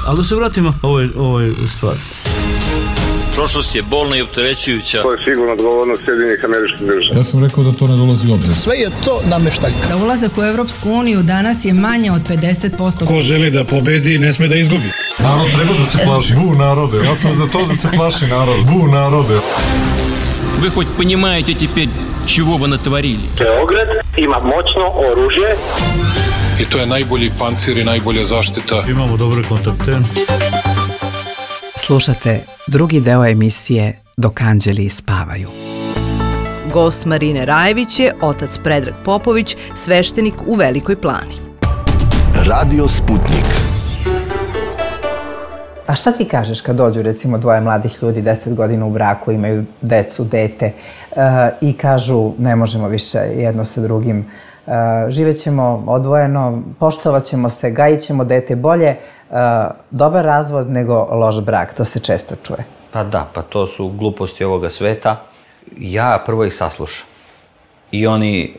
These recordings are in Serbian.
Ali da se vratimo ovoj stvari. Prošlost je bolna i opterećujuća. To je sigurno odgovornost Sjedinjenih Američkih Država. Ja sam rekao da to ne dolazi u obzir. Sve je to nameštaljka. Za ulazak u Evropsku uniju danas je manje od 50%. Ko želi da pobedi, ne sme da izgubi. Narod treba da se plaši. Bu narode. Ja sam za to da se plaši narod. Bu narode. Вы хоть понимаете теперь, чего вы натворили? Beograd ima moćno oružje. I to je najbolji pancir i najbolja zaštita. Imamo dobre kontakte. Slušate drugi deo emisije Dok anđeli spavaju. Gost Marine Rajević je otac Predrag Popović, sveštenik u Velikoj Plani. Radio Sputnik. A šta ti kažeš kad dođu recimo dvoje mladih ljudi, 10 godina u braku, imaju decu, dete i kažu ne možemo više jedno sa drugim, živećemo odvojeno, poštovat ćemo se, gajit ćemo dete bolje, dobar razvod nego loš brak, to se često čuje. Pa da, pa to su gluposti ovoga sveta. Ja prvo ih saslušam. I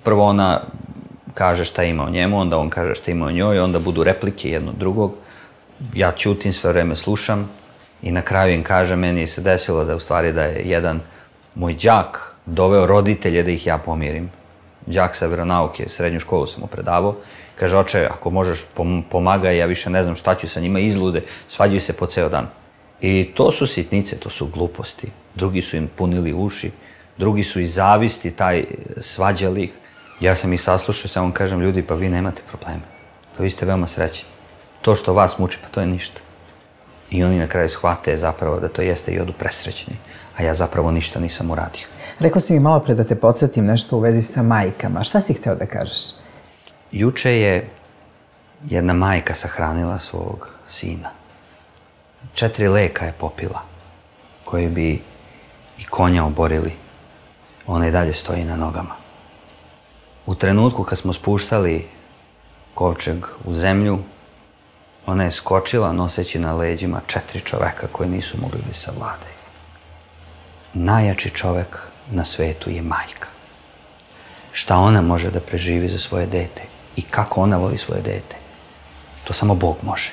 prvo ona kaže šta ima o njemu, onda on kaže šta ima o njoj, onda budu replike jedno drugog. Ja ćutim, sve vreme slušam i na kraju im kažem, meni se desilo da u stvari da je jedan moj đak doveo roditelje da ih ja pomirim. Đak sa veronauke, srednju školu sam mu predavao. Kaže, oče, ako možeš pomagaj, ja više ne znam šta ću sa njima, izlude, svađaju se po ceo dan. I to su sitnice, to su gluposti. Drugi su im punili uši, drugi su iz zavisti svađali ih. Ja sam ih saslušao, samo kažem, ljudi, pa vi nemate probleme. Pa vi ste veoma srećni. To što vas muči, pa to je ništa. I oni na kraju shvate zapravo da to jeste i odu presrećni, a ja zapravo ništa nisam uradio. Rekao si mi malo pre da te podsjetim nešto u vezi sa majkama. Šta si hteo da kažeš? Juče je jedna majka sahranila svog sina. 4 leka je popila, koji bi i konja oborili. Ona i dalje stoji na nogama. U trenutku kad smo spuštali kovčeg u zemlju, ona je skočila noseći na leđima 4 čoveka koji nisu mogli da savladaju. Najjači čovek na svetu je majka. Šta ona može da preživi za svoje dete i kako ona voli svoje dete, to samo Bog može.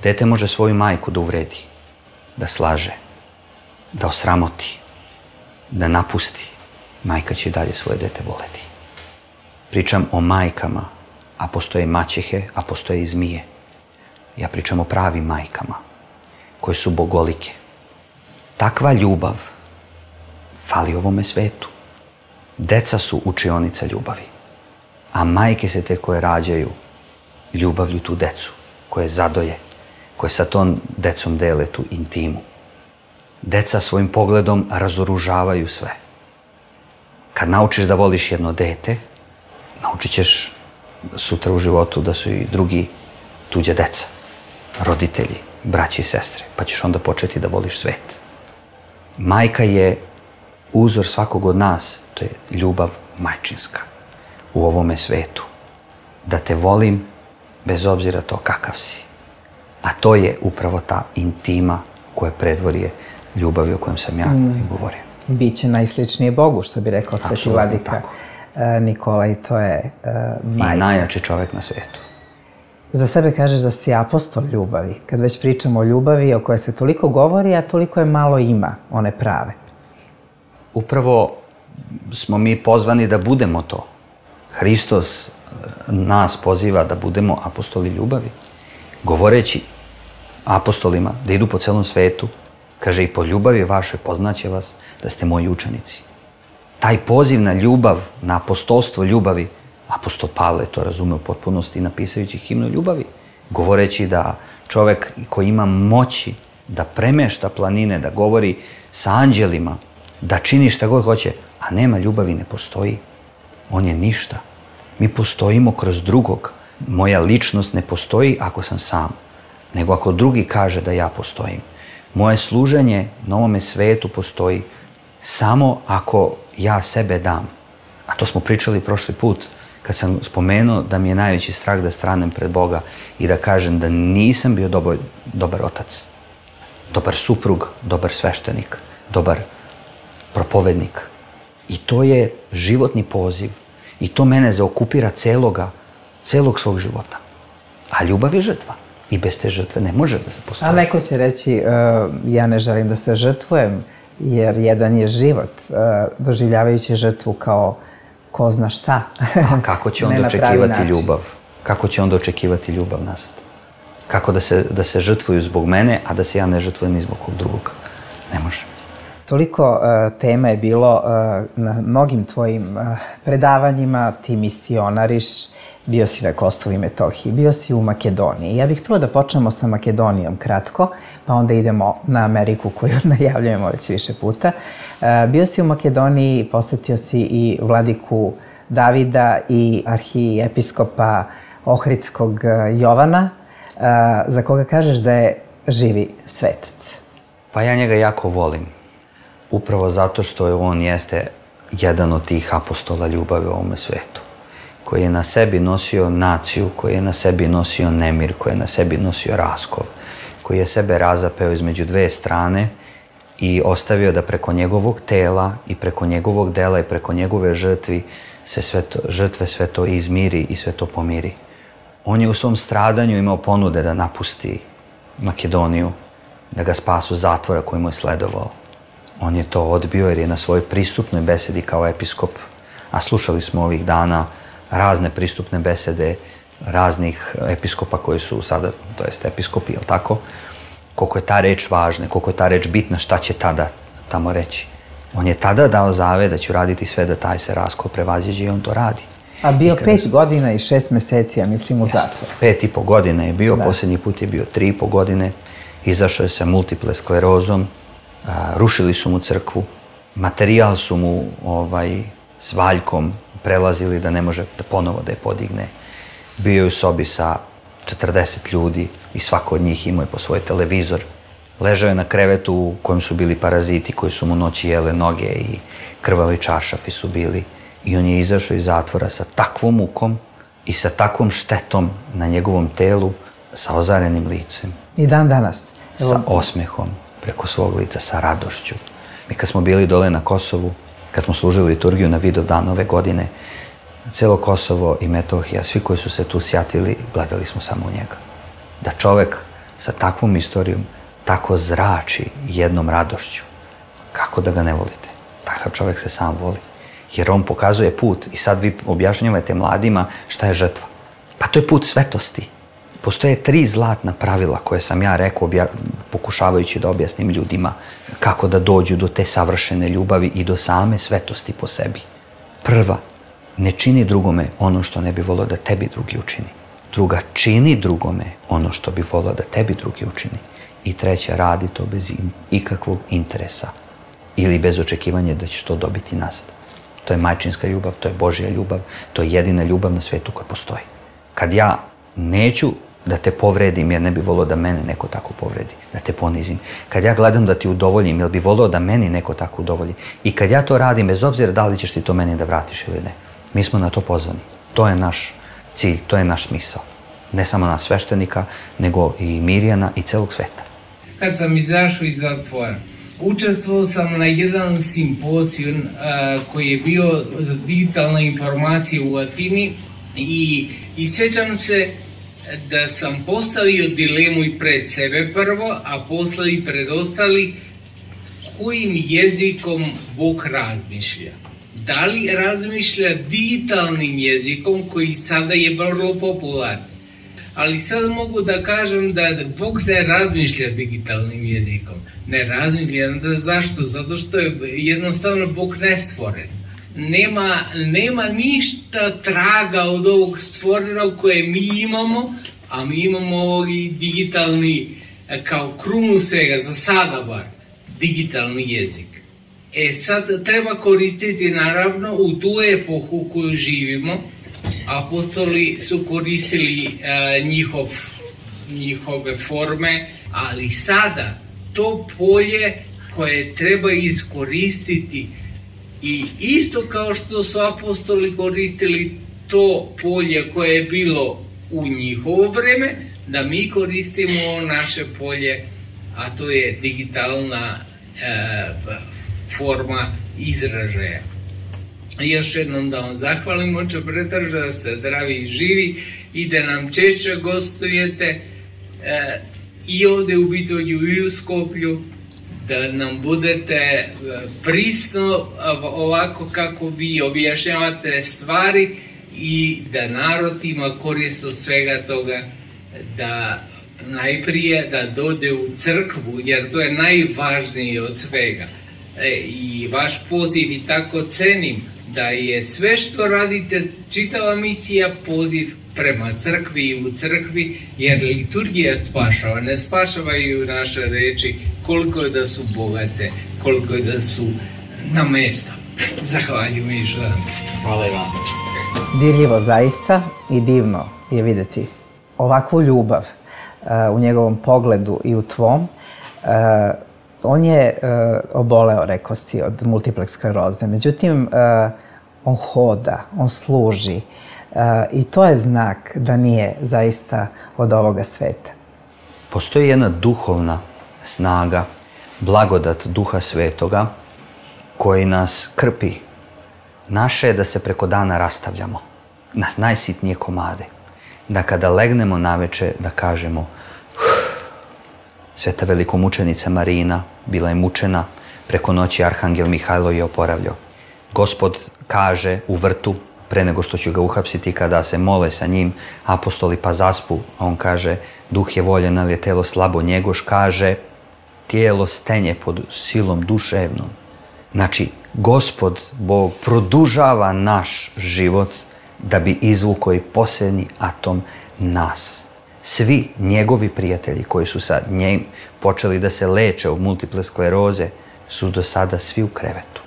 Dete može svoju majku da uvredi, da slaže, da osramoti, da napusti. Majka će i dalje svoje dete voleti. Pričam o majkama, a postoje maćehe, a postoje i zmije. Ja pričam o pravim majkama, koje su bogolike. Takva ljubav fali ovome svetu. Deca su učionica ljubavi, a majke se te koje rađaju ljubavlju tu decu, koje zadoje, koje sa tom decom dele tu intimu. Deca svojim pogledom razoružavaju sve. Kad naučiš da voliš jedno dete, naučit ćeš sutra u životu da su i drugi tuđa deca, roditelji, braći i sestre, pa ćeš onda početi da voliš svet. Majka je uzor svakog od nas, to je ljubav majčinska u ovome svetu. Da te volim bez obzira to kakav si. A to je upravo ta intima koja predvorje ljubavi o kojem sam ja govorio. Biće najsličnije Bogu, što bi rekao sveti vladika Nikola, i to je majka. I najjači čovek na svetu. Za sebe kažeš da si apostol ljubavi. Kad već pričamo o ljubavi o kojoj se toliko govori, a toliko je malo ima, one prave. Upravo smo mi pozvani da budemo to. Hristos nas poziva da budemo apostoli ljubavi. Govoreći apostolima da idu po celom svetu, kaže, i po ljubavi vašoj poznaće vas da ste moji učenici. Taj poziv na ljubav, na apostolstvo ljubavi, apostol Pavle to razume u potpunosti napisajući himnu ljubavi, govoreći da čovek koji ima moći da premešta planine, da govori sa anđelima, da čini šta god hoće, a nema ljubavi, ne postoji. On je ništa. Mi postojimo kroz drugog. Moja ličnost ne postoji ako sam sam, nego ako drugi kaže da ja postojim. Moje služenje na ovome svetu postoji samo ako ja sebe dam. A to smo pričali prošli put kad sam spomenuo da mi je najveći strah da stranem pred Boga i da kažem da nisam bio dobar otac, dobar suprug, dobar sveštenik, dobar propovednik. I to je životni poziv i to mene zaokupira celog svog života. A A ljubav je žrtva. I bez te žrtve ne može da se postoji. A neko će reći, ja ne želim da se žrtvujem, jer jedan je život, doživljavajući žrtvu kao ko zna šta. A kako će on očekivati ljubav? Kako će on očekivati ljubav nazad? Kako da se žrtvuju zbog mene, a da se ja ne žrtvujem ni zbog kog drugog? Ne može. Toliko tema je bilo na mnogim tvojim predavanjima, ti misionariš, bio si na Kosovu i Metohiji, bio si u Makedoniji. Ja bih prvo da počnemo sa Makedonijom kratko, pa onda idemo na Ameriku koju najavljujemo već više puta. Bio si u Makedoniji, posetio si i vladiku Davida i arhiepiskopa Ohridskog Jovana, za koga kažeš da je živi svetac. Pa ja njega jako volim. Upravo zato što on jeste jedan od tih apostola ljubavi u ovome svetu. Koji je na sebi nosio naciju, koji je na sebi nosio nemir, koji je na sebi nosio raskol. Koji je sebe razapeo između dve strane i ostavio da preko njegovog tela i preko njegovog dela i preko njegove žrtve sve to izmiri i sve to pomiri. On je u svom stradanju imao ponude da napusti Makedoniju, da ga spasu zatvora koji mu je sledovao. On je to odbio jer je na svojoj pristupnoj besedi kao episkop, a slušali smo ovih dana razne pristupne besede raznih episkopa koji su sada, to jest episkopi, jel tako? Koliko je ta reč važna, koliko je ta reč bitna, šta će tada tamo reći. On je tada dao zavet da će raditi sve da taj se raskol prevaziđe i on to radi. A bio 5 godina i 6 meseci, ja mislim, u zatvoru. 5,5 godina je bio, posljednji put je bio 3,5 godine. Izašao je sa multiple sklerozom, rušili su mu crkvu, materijal su mu s valjkom prelazili da ne može da ponovo da je podigne. Bio je u sobi sa 40 ljudi i svako od njih imao je po svoj televizor. Ležao je na krevetu u kojem su bili paraziti koji su mu noći jele noge i krvavi čaršafi su bili. I on je izašao iz zatvora sa takvom mukom i sa takvom štetom na njegovom telu, sa ozarenim licem. I dan danas. Sa osmehom preko svog lica, sa radošću. Mi kad smo bili dole na Kosovu, kad smo služili liturgiju na Vidovdan ove godine, celo Kosovo i Metohija, svi koji su se tu sjatili, gledali smo samo u njega. Da čovek sa takvom istorijom tako zrači jednom radošću, kako da ga ne volite? Takav čovek se sam voli. Jer on pokazuje put i sad vi objašnjavate mladima šta je žrtva. Pa to je put svetosti. Postoje 3 zlatna pravila koje sam ja rekao pokušavajući da objasnim ljudima kako da dođu do te savršene ljubavi i do same svetosti po sebi. Prva, ne čini drugome ono što ne bi volio da tebi drugi učini. Druga, čini drugome ono što bi volio da tebi drugi učini. I treća, radi to bez ikakvog interesa ili bez očekivanja da ćeš to dobiti nazad. To je majčinska ljubav, to je Božja ljubav, to je jedina ljubav na svetu koja postoji. Kad ja neću da te povredim jer ne bi volio da mene neko tako povredi, da te ponizim. Kad ja gledam da ti udovoljim jer bi volio da meni neko tako udovolji. I kad ja to radim, bez obzira da li ćeš ti to meni da vratiš ili ne. Mi smo na to pozvani. To je naš cilj, to je naš smisao. Ne samo nas sveštenika, nego i Mirjana i celog sveta. Kad sam izašao iz zatvora, učestvovao sam na jedan simpozijum koji je bio za digitalne informacije u Atini i sjećam se da sam postavio dilemu i pred sebe prvo, a posle i pred ostali kojim jezikom Bog razmišlja. Da li razmišlja digitalnim jezikom koji sada je vrlo popularan? Ali sad mogu da kažem da Bog ne razmišlja digitalnim jezikom. Ne razmišlja. Zašto? Zato što je jednostavno Bog nestvoren. Nema ništa traga od ovog stvorenog koje mi imamo, a mi imamo ovog digitalni, kao krunu svega, za sada bar, digitalni jezik. Sad treba koristiti naravno u tu epohu u kojoj živimo. Apostoli su koristili njihove forme, ali sada to polje koje treba iskoristiti i isto kao što su apostoli koristili to polje koje je bilo u njihovo vreme, da mi koristimo naše polje, a to je digitalna forma izražaja. Još jednom da vam zahvalim, oče pretraža, da se zdravi i živi i da nam češće gostujete i ovde u Bitolju i u Skoplju, da nam budete prisno ovako kako vi objašnjavate stvari i da narod ima korist od svega toga, da najprije da dode u crkvu, jer to je najvažnije od svega. I vaš poziv i tako cenim da je sve što radite, čitava misija, poziv prema crkvi i u crkvi, jer liturgija spašava, ne spašavaju naše reči koliko je da su bogate, koliko je da su na mesta. Zahvaljujem još dan. Hvala i vam. Dirljivo zaista i divno je videti ovakvu ljubav u njegovom pogledu i u tvom. On je oboleo, rekao si, od multiplex skleroze. Međutim, on hoda, on služi i to je znak da nije zaista od ovoga sveta. Postoji jedna duhovna snaga, blagodat Duha Svetoga koji nas krpi. Naše je da se preko dana rastavljamo na najsitnije komade. Da kada legnemo naveče da kažemo Sveta velikomučenica Marina bila je mučena, preko noći Arhangel Mihajlo je oporavljao. Gospod kaže u vrtu, pre nego što ću ga uhapsiti, kada se mole sa njim, apostoli pa zaspu, a on kaže, duh je voljen, ali je telo slabo, njegoš kaže, tijelo stenje pod silom duševnom. Znači, Gospod Bog produžava naš život da bi izvukao i posljednji atom nas. Svi njegovi prijatelji koji su sa njim počeli da se leče od multiple skleroze su do sada svi u krevetu.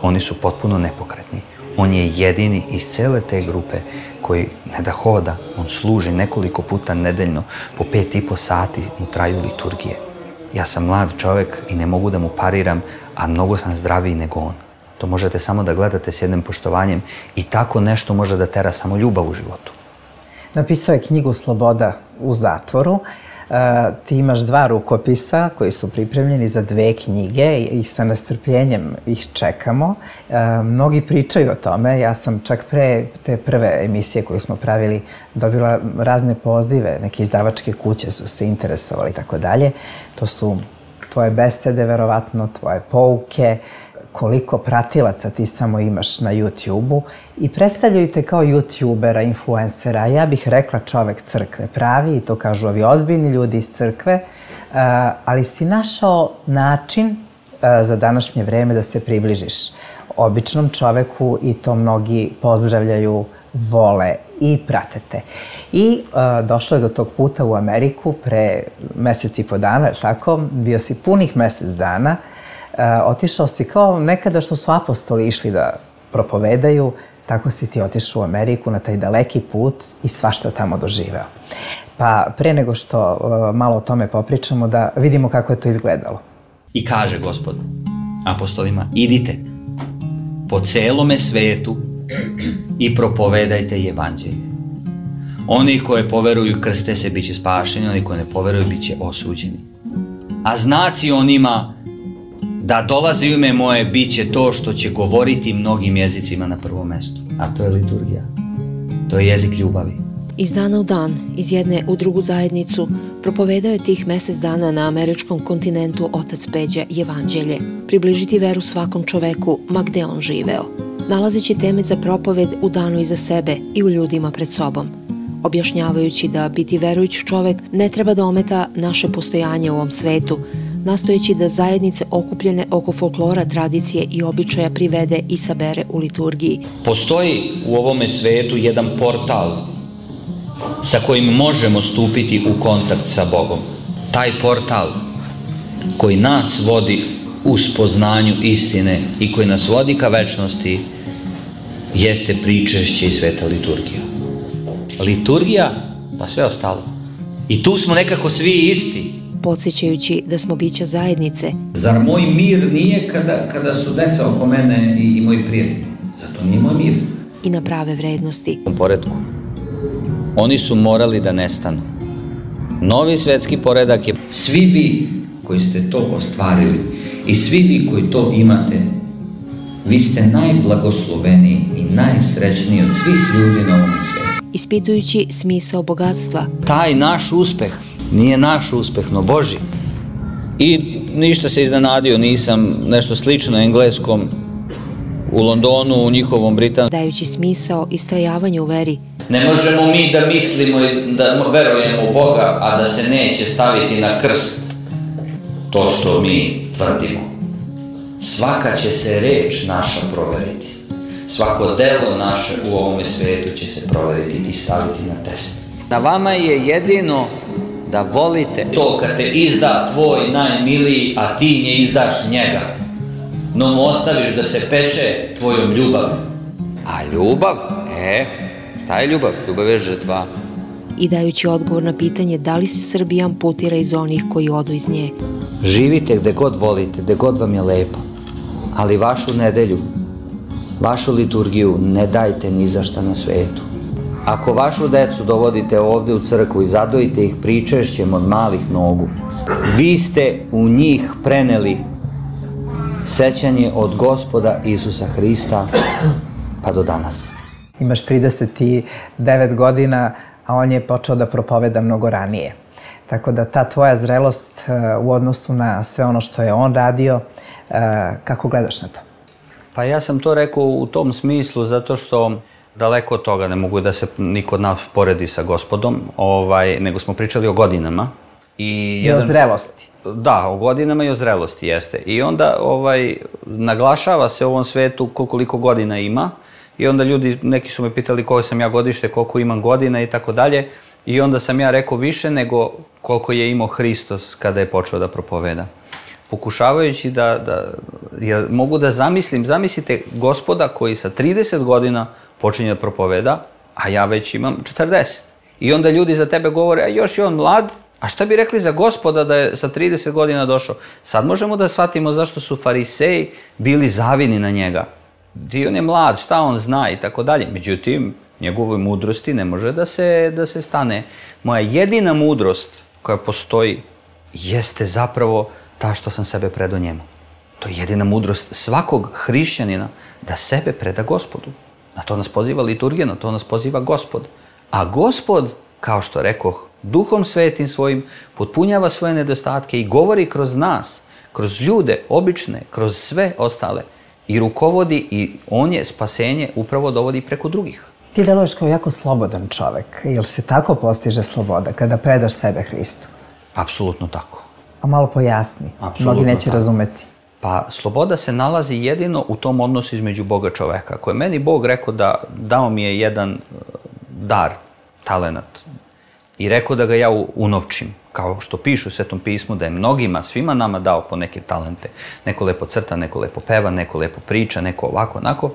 Oni su potpuno nepokretni. On je jedini iz cele te grupe koji ne da hoda, on služi nekoliko puta nedeljno, po 5,5 sati mu traju liturgije. Ja sam mlad čovjek i ne mogu da mu pariram, a mnogo sam zdraviji nego on. To možete samo da gledate s jednim poštovanjem i tako nešto može da tera samo ljubav u životu. Napisao je knjigu Sloboda u zatvoru. Ti imaš 2 rukopisa koji su pripremljeni za 2 knjige i sa nestrpljenjem ih čekamo. Mnogi pričaju o tome. Ja sam čak pre te prve emisije koju smo pravili dobila razne pozive. Neke izdavačke kuće su se interesovali i tako dalje. To su tvoje besede, verovatno, tvoje pouke, koliko pratilaca ti samo imaš na YouTube-u i predstavljaju te kao YouTubera, influencera. Ja bih rekla čovek crkve pravi, i to kažu ovi ozbiljni ljudi iz crkve, ali si našao način za današnje vreme da se približiš običnom čoveku i to mnogi pozdravljaju, vole i prate te. I došlo je do tog puta u Ameriku pre mesec i po dana, tako? Bio si punih mesec dana. Otišao si kao nekada što su apostoli išli da propovedaju, tako si ti otišao u Ameriku na taj daleki put i svašta tamo doživeo. Pa pre nego što malo o tome popričamo, da vidimo kako je to izgledalo. I kaže Gospod apostolima, idite po celome svetu i propovedajte evanđelje. Oni koji poveruju krste se bit će spašeni, oni koji ne poveruju bit će osuđeni. A znaci onima da dolazi u ime moje bit će to što će govoriti mnogim jezicima na prvom mestu. A to je liturgija. To je jezik ljubavi. Iz dana u dan, iz jedne u drugu zajednicu, propovedao je tih mesec dana na američkom kontinentu otac Peđa evanđelje, približiti veru svakom čoveku, ma gde on živeo, nalazeći teme za propoved u danu iza sebe i u ljudima pred sobom, objašnjavajući da biti verujući čovek ne treba da ometa naše postojanje u ovom svetu, nastojeći da zajednice okupljene oko folklora, tradicije i običaja privede i sabere u liturgiji. Postoji u ovome svetu jedan portal sa kojim možemo stupiti u kontakt sa Bogom. Taj portal koji nas vodi u spoznanju istine i koji nas vodi ka večnosti jeste pričešće i sveta liturgija. Liturgija, pa sve ostalo. I tu smo nekako svi isti. Podsjećajući da smo bića zajednice. Zar moj mir nije kada su deca oko mene i moji prijatelji? Zato nije moj mir. I na prave vrednosti. U poredku. Oni su morali da nestanu. Novi svetski poredak je svi vi koji ste to ostvarili i svi vi koji to imate, vi ste najblagosloveniji i najsrećniji od svih ljudi na ovom svijetu. ispitujući smisao bogatstva. Taj naš uspeh nije naš uspeh, no Božji. I ništa se iznenadio, nisam nešto slično engleskom u Londonu, u njihovom britanskom. Dajući smisao istrajavanju u veri. Ne možemo mi da mislimo i da verujemo u Boga, a da se neće staviti na krst to što mi tvrdimo. Svaka će se reč naša proveriti. Svako delo naše u ovome svijetu će se proveriti i staviti na test. Na vama je jedino da volite to kad te izda tvoj najmiliji, a ti nje izdaš njega. No mu ostaviš da se peče tvojom ljubavi. A ljubav? Šta je ljubav? Ljubav je žrtva. I dajući odgovor na pitanje da li se Srbija amputira iz onih koji odu iz nje. Živite gde god volite, gde god vam je lepo. Ali vašu nedelju, vašu liturgiju ne dajte ni za šta na svetu. Ako vašu decu dovodite ovde u crkvu i zadojite ih pričešćem od malih nogu, vi ste u njih preneli sećanje od Gospoda Isusa Hrista pa do danas. Imaš 39 godina, a on je počeo da propoveda mnogo ranije. Tako da ta tvoja zrelost u odnosu na sve ono što je on radio, kako gledaš na to? Pa ja sam to rekao u tom smislu zato što daleko od toga ne mogu da se niko od nas poredi sa Gospodom, nego smo pričali o godinama. I o zrelosti. Da, o godinama i o zrelosti jeste. I onda naglašava se u ovom svetu koliko godina ima i onda ljudi, neki su me pitali koje sam ja godište, koliko imam godina i tako dalje. I onda sam ja rekao više nego koliko je imao Hristos kada je počeo da propoveda. Pokušavajući mogu da zamislite Gospoda koji sa 30 godina počinje da propoveda, a ja već imam 40. I onda ljudi za tebe govore, a još je on mlad, a šta bi rekli za Gospoda da je sa 30 godina došao? Sad možemo da shvatimo zašto su fariseji bili zavidni na njega. On je mlad, šta on zna i tako dalje. Međutim, njegovoj mudrosti ne može da se stane. Moja jedina mudrost koja postoji jeste zapravo ta što sam sebe predao njemu. To je jedina mudrost svakog hrišćanina da sebe preda Gospodu. Na to nas poziva liturgija, na to nas poziva Gospod. A Gospod, kao što rekoh, Duhom Svetim svojim potpunjava svoje nedostatke i govori kroz nas, kroz ljude obične, kroz sve ostale i rukovodi i on je spasenje upravo dovodi preko drugih. Ti deluješ kao jako slobodan čovek. Jel se tako postiže sloboda kada predaš sebe Hristu? Apsolutno tako. A malo pojasni, mnogi neće razumeti. Pa sloboda se nalazi jedino u tom odnosu između Boga i čoveka. Ako je meni Bog rekao da dao mi je jedan dar, talenat, i rekao da ga ja unovčim, kao što pišu u Svetom pismu, da je mnogima, svima nama dao po neke talente. Neko lepo crta, neko lepo peva, neko lepo priča, neko ovako, onako.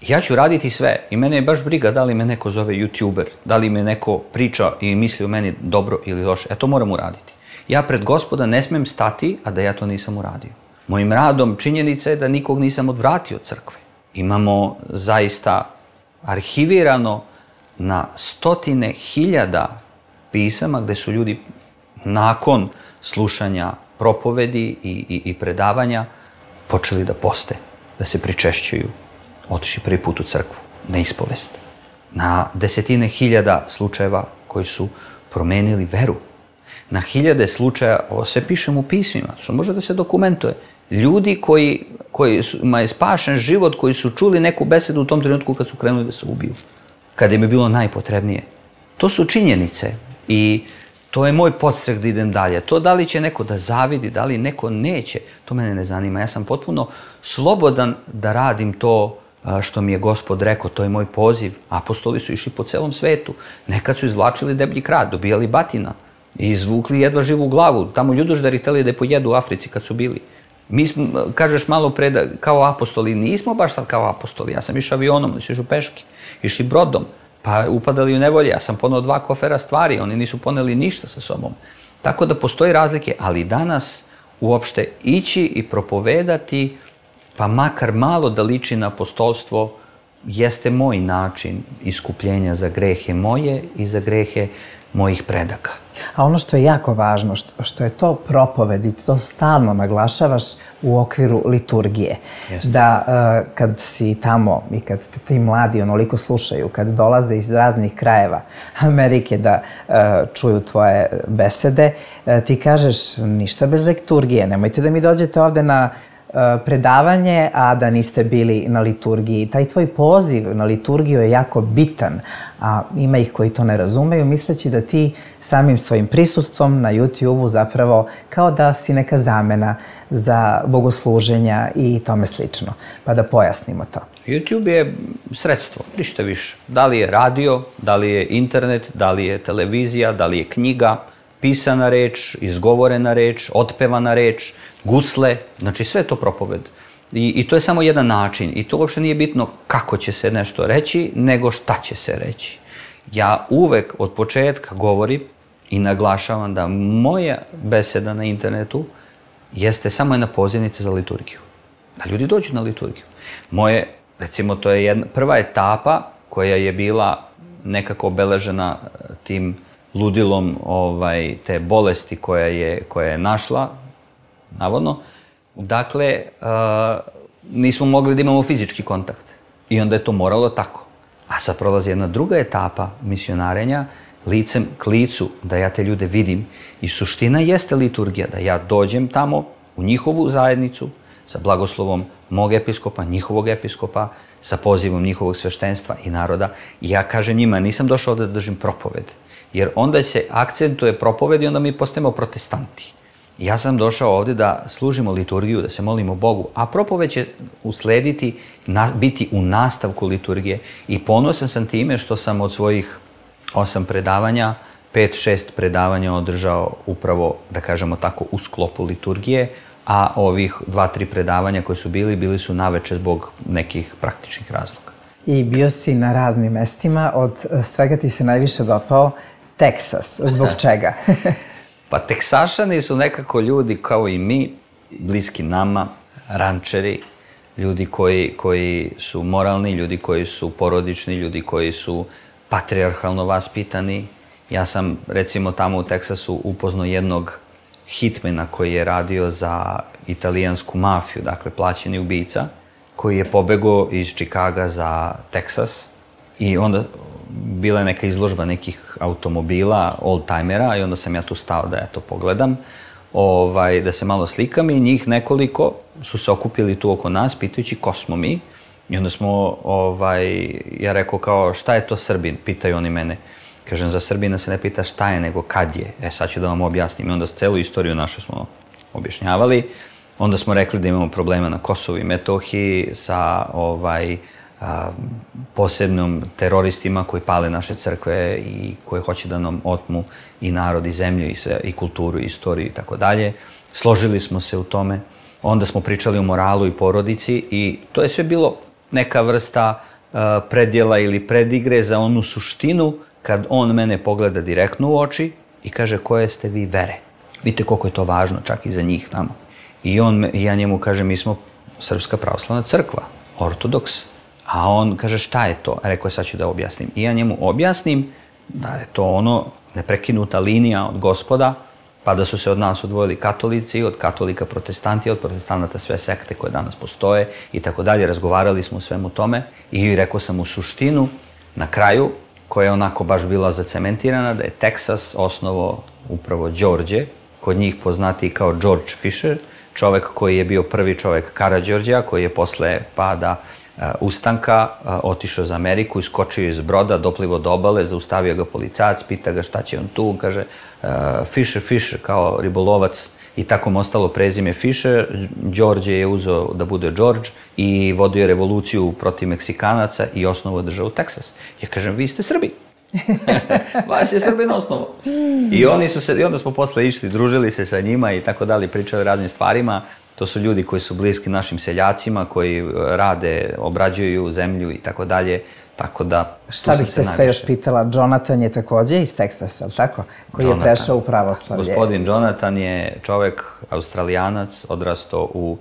Ja ću raditi sve i mene je baš briga da li me neko zove YouTuber, da li me neko priča i misli o meni dobro ili loše. Ja to moram uraditi. Ja pred Gospoda ne smem stati, a da ja to nisam uradio. Mojim radom činjenica je da nikog nisam odvratio od crkve. Imamo zaista arhivirano na 100.000 pisama gde su ljudi nakon slušanja propovedi i predavanja počeli da poste, da se pričešćuju, otišli prvi put u crkvu, na ispovest. Na 10.000 slučajeva koji su promenili veru. Na 1000 slučaja, ovo sve pišem u pismima, što može da se dokumentuje. Ljudi kojima je spašen život, koji su čuli neku besedu u tom trenutku kad su krenuli da se ubiju. Kada im je bilo najpotrebnije. To su činjenice i to je moj podstrek da idem dalje. To da li će neko da zavidi, da li neko neće, to mene ne zanima. Ja sam potpuno slobodan da radim to što mi je Gospod rekao, to je moj poziv. Apostoli su išli po celom svetu. Nekad su izvlačili deblji krat, dobijali batina i izvukli jedva živu glavu. Tamo ljudoždari hteli da je pojedu u Africi kad su bili. Mi smo, kažeš malo pre da kao apostoli, nismo baš sad kao apostoli. Ja sam išao avionom, oni su išli peške, išli brodom, pa upadali u nevolje. Ja sam poneo 2 kofera stvari, oni nisu poneli ništa sa sobom. Tako da postoji razlike, ali danas uopšte ići i propovedati, pa makar malo da liči na apostolstvo, jeste moj način iskupljenja za grehe moje i za grehe mojih predaka. A ono što je jako važno, što je to propoved i to stalno naglašavaš u okviru liturgije. Jeste. Da kad si tamo i kad te ti mladi onoliko slušaju, kad dolaze iz raznih krajeva Amerike da čuju tvoje besede, ti kažeš ništa bez liturgije, nemojte da mi dođete ovde na predavanje, a da niste bili na liturgiji. Taj tvoj poziv na liturgiju je jako bitan, a ima ih koji to ne razumeju, misleći da ti samim svojim prisustvom na YouTube-u zapravo kao da si neka zamena za bogosluženja i tome slično. Pa da pojasnimo to. YouTube je sredstvo, ništa više. Da li je radio, da li je internet, da li je televizija, da li je knjiga, pisana reč, izgovorena reč, otpevana reč, gusle, znači sve je to propoved. I to je samo jedan način i to uopšte nije bitno kako će se nešto reći, nego šta će se reći. Ja uvek od početka govorim i naglašavam da moja beseda na internetu jeste samo jedna pozivnica za liturgiju. Da ljudi dođu na liturgiju. Moje, recimo, to je prva etapa koja je bila nekako obeležena tim ludilom te bolesti koja je našla, navodno. Dakle, nismo mogli da imamo fizički kontakt. I onda je to moralo tako. A sad prolazi jedna druga etapa misionarenja, licem k licu, da ja te ljude vidim. I suština jeste liturgija, da ja dođem tamo u njihovu zajednicu sa blagoslovom mog episkopa, njihovog episkopa, sa pozivom njihovog sveštenstva i naroda. I ja kažem njima, nisam došao ovde da držim propoved. Jer onda se akcentuje propoved i onda mi postajemo protestanti. Ja sam došao ovde da služimo liturgiju, da se molimo Bogu, a propoved će uslediti, biti u nastavku liturgije. I ponosan sam time što sam od svojih 8 predavanja, 5-6 predavanja održao upravo, da kažemo tako, u sklopu liturgije, a ovih 2-3 predavanja koje su bili su naveče zbog nekih praktičnih razloga. I bio si na raznim mestima, od svega ti se najviše dopao Teksas. Zbog čega? Pa Teksašani su nekako ljudi kao i mi, bliski nama, rančeri, ljudi koji su moralni, ljudi koji su porodični, ljudi koji su patrijarhalno vaspitani. Ja sam, recimo, tamo u Teksasu upoznao jednog hitmena koji je radio za italijansku mafiju, dakle plaćeni ubica, koji je pobegao iz Čikaga za Teksas i onda bila je neka izložba nekih automobila, oldtimera, i onda sam ja tu stao da ja to pogledam, da se malo slikam, i njih nekoliko su se okupili tu oko nas, pitajući ko smo mi. I onda smo, ja rekao kao, šta je to Srbin? Pitaju oni mene. Kažem, za Srbina se ne pita šta je, nego kad je. Sad ću da vam objasnim. I onda celu istoriju našu smo objašnjavali. Onda smo rekli da imamo problema na Kosovu i Metohiji sa posebnom teroristima koji pale naše crkve i koji hoće da nam otmu i narod i zemlju i sve, i kulturu i istoriju i tako dalje. Složili smo se u tome. Onda smo pričali o moralu i porodici i to je sve bilo neka vrsta predjela ili predigre za onu suštinu kad on mene pogleda direktno u oči i kaže koje ste vi vere. Vidite koliko je to važno čak i za njih tamo. I ja njemu kažem, mi smo Srpska pravoslavna crkva, ortodoks. A on kaže, šta je to? Rekao je, sad ću da objasnim. I ja njemu objasnim da je to ono neprekinuta linija od Gospoda, pa da su se od nas odvojili katolici, od katolika protestanti, od protestanata sve sekte koje danas postoje i tako dalje. Razgovarali smo o svemu tome i rekao sam u suštinu, na kraju, koja je onako baš bila zacementirana, da je Teksas osnovo upravo Đorđe, kod njih poznati kao George Fisher, čovek koji je bio prvi čovek Karađorđa, koji je posle pada ustanka otišao za Ameriku, iskočio iz broda, doplivo do obale, zaustavio ga policajac, pita ga šta će on tu, kaže Fisher, kao ribolovac, i tako mu ostalo prezime Fisher. Đorđe je uzeo da bude George i vodio revoluciju protiv Meksikanaca i osnovao državu Teksas. Ja kažem, vi ste Srbi. Vas je Srbin osnovo. I onda smo posle išli, družili se sa njima i tako dalje, pričali o raznim stvarima. To su ljudi koji su bliski našim seljacima, koji rade, obrađuju zemlju i tako dalje. Tako da... Šta bih te sve još pitala? Jonathan je takođe iz Teksasa, ali tako? Koji je prešao u pravoslavlje. Gospodin Jonathan je čovek australijanac, odrastao u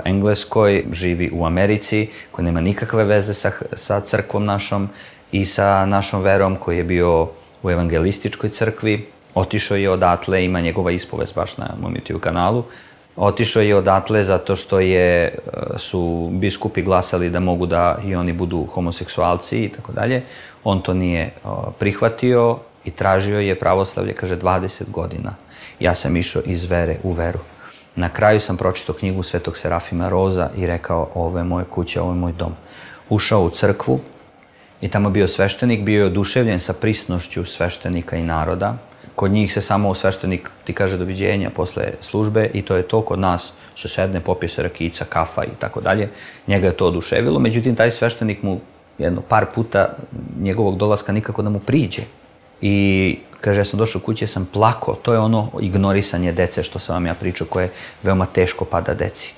Engleskoj, živi u Americi, koji nema nikakve veze sa crkvom našom i sa našom verom, koji je bio u evangelističkoj crkvi, otišao je odatle, ima njegova ispovest baš na mom YouTube kanalu, otišao je odatle zato što su biskupi glasali da mogu da i oni budu homoseksualci i tako dalje. On to nije prihvatio i tražio je pravoslavlje, kaže, 20 godina. Ja sam išao iz vere u veru. Na kraju sam pročitao knjigu Svetog Serafima Roza i rekao, ovo je moja kuća, ovo je moj dom. Ušao u crkvu i tamo bio sveštenik, bio je oduševljen sa prisnošću sveštenika i naroda. Kod njih se samo sveštenik ti kaže doviđenja posle službe i to je to. Kod nas se sedne, popije se rakica, kafa i tako dalje. Njega je to oduševilo, međutim taj sveštenik mu par puta njegovog dolaska nikako da mu priđe. I kaže, ja sam došao kući, ja sam plakao. To je ono ignorisanje dece što sam vam ja pričao, koje veoma teško pada deci.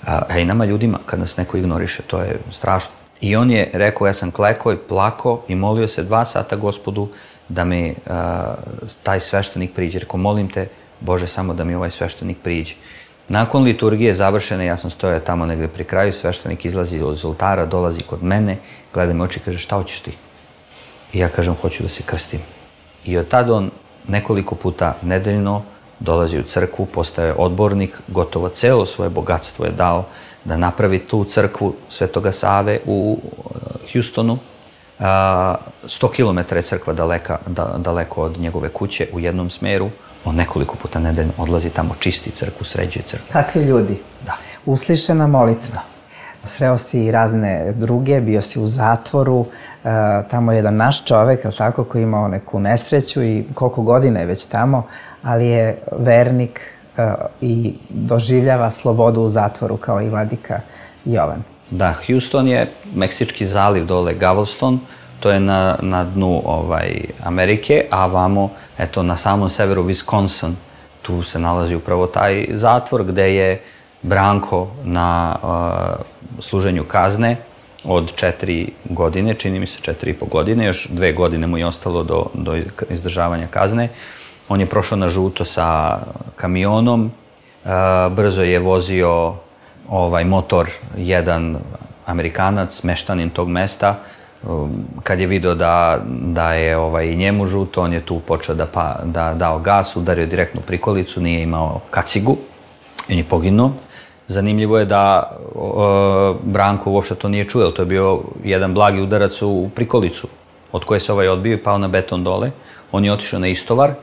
A i nama ljudima, kad nas neko ignoriše, to je strašno. I on je rekao, ja sam klekao i plakao i molio se 2 sata Gospodu da mi taj sveštenik priđe. Rekao, molim te, Bože, samo da mi ovaj sveštenik priđe. Nakon liturgije završene, ja sam stojao tamo negde pri kraju, sveštenik izlazi od oltara, dolazi kod mene, gleda me oči i kaže, šta hoćeš ti? I ja kažem, hoću da se krstim. I od tada on nekoliko puta nedeljno dolazi u crkvu, postaje odbornik, gotovo celo svoje bogatstvo je dao da napravi tu crkvu Svetoga Save u Houstonu. 100 km je crkva daleko od njegove kuće u jednom smeru. On nekoliko puta nedeljno odlazi tamo, čisti crkvu, sređuje crkvu. Kakvi ljudi? Da. Uslišena molitva. Sreo si i razne druge, bio si u zatvoru, tamo je jedan naš čovek, tako, koji je imao neku nesreću i koliko godina je već tamo, ali je vernik i doživljava slobodu u zatvoru kao i vladika Jovan. Da, Houston je Meksički zaliv dole, Galveston, to je na dnu Amerike, a vamo, eto, na samom severu Wisconsin, tu se nalazi upravo taj zatvor gde je Branko na služenju kazne od 4 godine, čini mi se 4,5 godine, još 2 godine mu je ostalo do izdržavanja kazne. On je prošao na žuto sa kamionom, brzo je vozio motor jedan Amerikanac, meštanin tog mesta. Kad je video da je i njemu žuto, on je tu počeo da dao gas, udario direktno prikolicu, nije imao kacigu i on je poginuo. Zanimljivo je da Branko uopšte to nije čuo, to je bio jedan blagi udarac u prikolicu od koje se odbio i pao na beton dole. On je otišao na istovar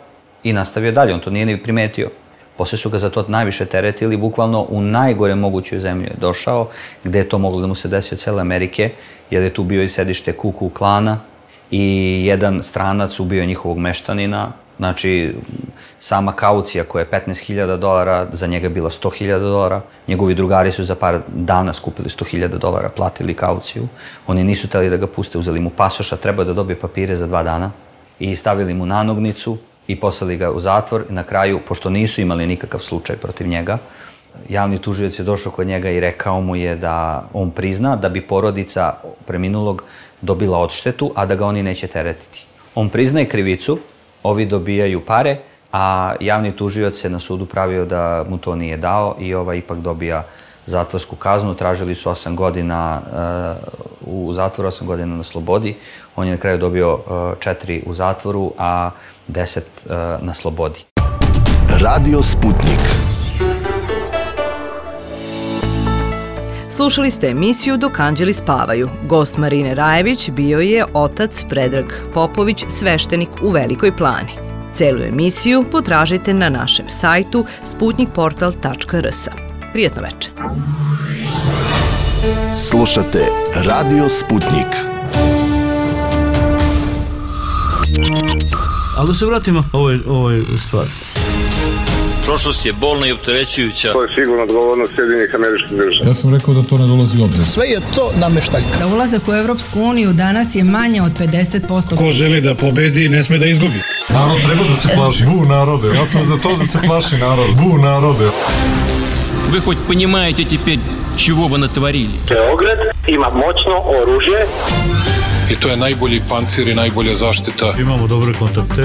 i nastavio dalje, on to nije ni primetio. Posle su ga za to najviše teretili, bukvalno u najgore mogućoj zemlji je došao, gde je to moglo da mu se desi od cele Amerike, jer je tu bio i sedište Ku Klux Klana i jedan stranac ubio njegovog meštanina. Znači, sama kaucija koja je $15,000, za njega je bila $100,000. Njegovi drugari su za par dana skupili $100,000, platili kauciju. Oni nisu hteli da ga puste, uzeli mu pasoša, trebao da dobije papire za 2 dana i stavili mu nanognicu i poslali ga u zatvor. I na kraju, pošto nisu imali nikakav slučaj protiv njega, javni tužilac je došao kod njega i rekao mu je da on prizna da bi porodica preminulog dobila odštetu, a da ga oni neće teretiti. On priznaje krivicu, ovi dobijaju pare, a javni tužilac se na sudu pravio da mu to nije dao i ipak dobija zatvorsku kaznu. Tražili su 8 godina u zatvoru, 8 godina na slobodi. On je na kraju dobio 4 u zatvoru, a 10 na slobodi. Radio Sputnik. Slušali ste emisiju Dok anđeli spavaju. Gost Marine Rajević bio je otac Predrag Popović, sveštenik u Velikoj Plani. Celu emisiju potražite na našem sajtu sputnikportal.rs. Prijetno večer. Slušate Radio Sputnik. Ali da se vratimo ovoj stvari. Prošlost je bolna i opterećujuća. To je sigurno odgovornost Sjedinjenih Američkih Država. Ja sam rekao da to ne dolazi u obzir. Sve je to nameštaljka. Za ulazak u Evropsku uniju danas je manje od 50%. Ko želi da pobedi, ne sme da izgubi. Narod treba da se plaši. Bu narode. Ja sam za to da se plaši narod. Bu narode. Вы хоть понимаете теперь, чего вы натворили? Beograd ima moćno oružje. I to je najbolji pancir i najbolja zaštita. Imamo dobre kontakte.